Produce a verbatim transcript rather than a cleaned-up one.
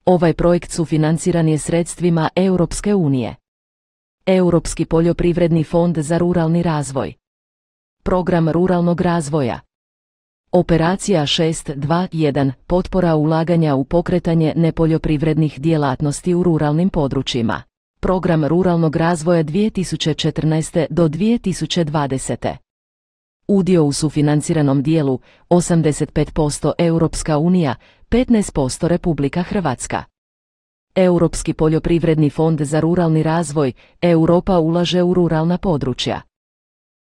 Ovaj projekt sufinanciran je sredstvima Europske unije. Europski poljoprivredni fond za ruralni razvoj. Program ruralnog razvoja. Operacija šest dva jedan – potpora ulaganja u pokretanje nepoljoprivrednih djelatnosti u ruralnim područjima. Program ruralnog razvoja dvije tisuće četrnaeste do dvije tisuće dvadesete. Udio u sufinanciranom dijelu osamdeset pet posto Europska unija, petnaest posto Republika Hrvatska. Europski poljoprivredni fond za ruralni razvoj, Europa ulaže u ruralna područja.